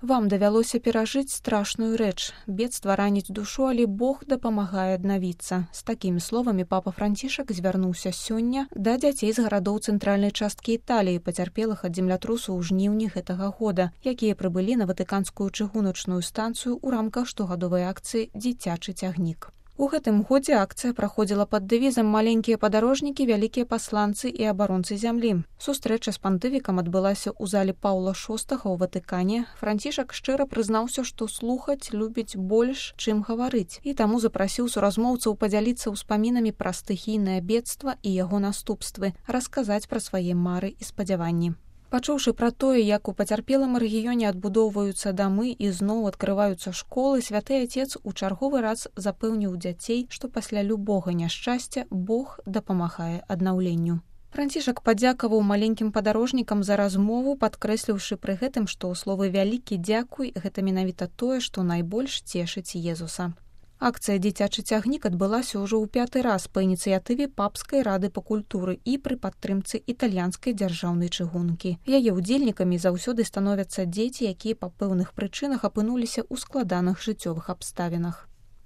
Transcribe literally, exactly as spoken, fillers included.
Вам давялося перажыць страшную рэч. Бедства раніць душу, але Бог дапамагае аднавіцца. З такімі словамі папа Францішак звярнуўся сёння да дзяцей з гарадоў цэнтральнай часткі Італіі, пацярпелых ад землятрусу ў жніўні гэтага года, якія прыбылі на ватыканскую чыгуначную станцыю ў рамках штогадовай акцыі «Дзіцячы цягнік». У гэтым годзе акцыя праходзіла пад дэвізам «Маленькія падарожнікі, вялікія пасланцы і абаронцы зямлі». Сустрэча з пантыфікам адбылася ў зале Паўла шостага ў Ватыкане. Францішак шчыра прызнаўся, што слухаць любіць больш, чым гаварыць, і таму запрасіў суразмоўцаў падзяліцца ўспамінамі пра стыхійнае бедства і яго наступствы, расказаць пра свае мары і спадзяванні. Пачуўшы пра тое, як у пацярпелым рэгіёне адбудоўваюцца дамы і зноў адкрываюцца школы, святы Отец у чарговы раз запэўніў дзяцей, што пасля любога няшчасця Бог дапамагае аднаўленню. Францішак падзякаваў маленькім падарожнікам за размову, падкрэсліўшы пры гэтым, што словы «вялікі дзякуй» гэта менавіта тое, што найбольш цешыць Езуса. Акцыя «Дзіцячы цягнік» адбылася ўжо ў пяты раз па ініцыятыве Папскай рады па культуры і пры падтрымцы італьянскай дзяржаўнай чыгункі. Яе ўдзельнікамі заўсёды становяцца дзеці, якія па пэўных прычынах апынуліся ў складаных жыццёвых абставінах.